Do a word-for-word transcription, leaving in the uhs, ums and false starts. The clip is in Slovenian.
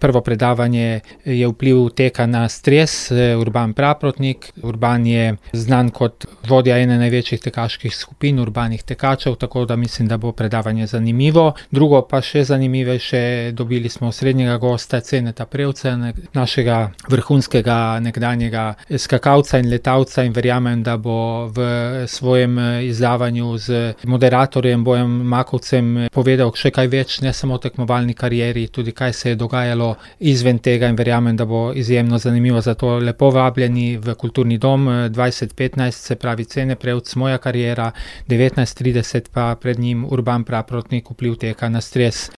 prvo predavanje je vpliv teka na stres, Urban Praprotnik. Urban je znan kot vodja ene največjih tekaških skupin, urbanih tekačev, tako da mislim, da bo predavanje zanimivo. Drugo pa še zanimivejše, dobili smo osrednjega gosta, Ceneta Prevca, našega vrhunskega nekdanjega skakalca in letalca, in verjamem, da bo v svojem izdavanju z moderatorjem Bojem Makovcem povedal še kaj več, ne samo o tekmovalni karieri, tudi kaj se je dogajalo izven tega, in verjamem, da bo izjemno zanimivo. Zato lepo vabljeni v Kulturni dom dvajset petnajst, se pravi Cene Prevc, moja kariera, devetnajst trideset pa pred njim Urban Praprotnik, vpliv teka na stres.